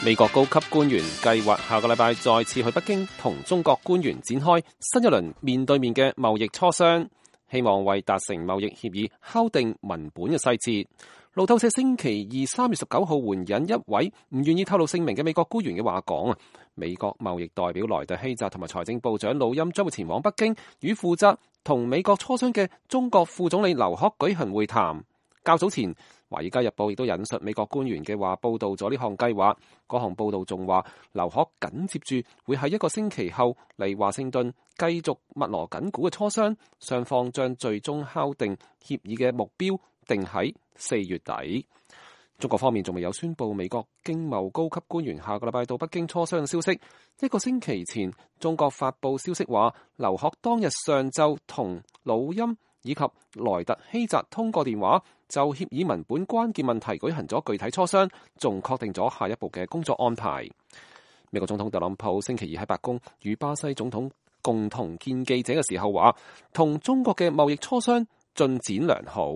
美國高級官員計劃下個禮拜再次去北京同中國官員展開新一輪面對面嘅貿易磋商，希望為達成貿易協議敲定文本嘅細節。路透社星期二3月19號援引一位唔願意透露姓名嘅美國官員嘅話講，美國貿易代表萊特希澤同埋財政部長魯欽將會前往北京，與負責同美國磋商嘅中國副總理劉鶴舉行會談。較早前，《華爾街日報》亦都引述美國官員嘅話，報道咗呢項計劃。嗰項報道仲話，劉鶴緊接住會喺1個星期後嚟華盛頓繼續密鑼緊鼓嘅磋商，雙方將最終敲定協議嘅目標定喺4月底。中國方面仲未有宣布美國經貿高級官員下個禮拜到北京磋商嘅消息。1個星期前，中國發布消息話，劉鶴當日上晝同魯欽以及萊特希澤通過電話，就協議文本關鍵問題舉行咗具體磋商，仲確定咗下一步嘅工作安排。美國總統特朗普星期二喺白宮與巴西總統共同見記者嘅時候話，同中國嘅貿易磋商進展良好。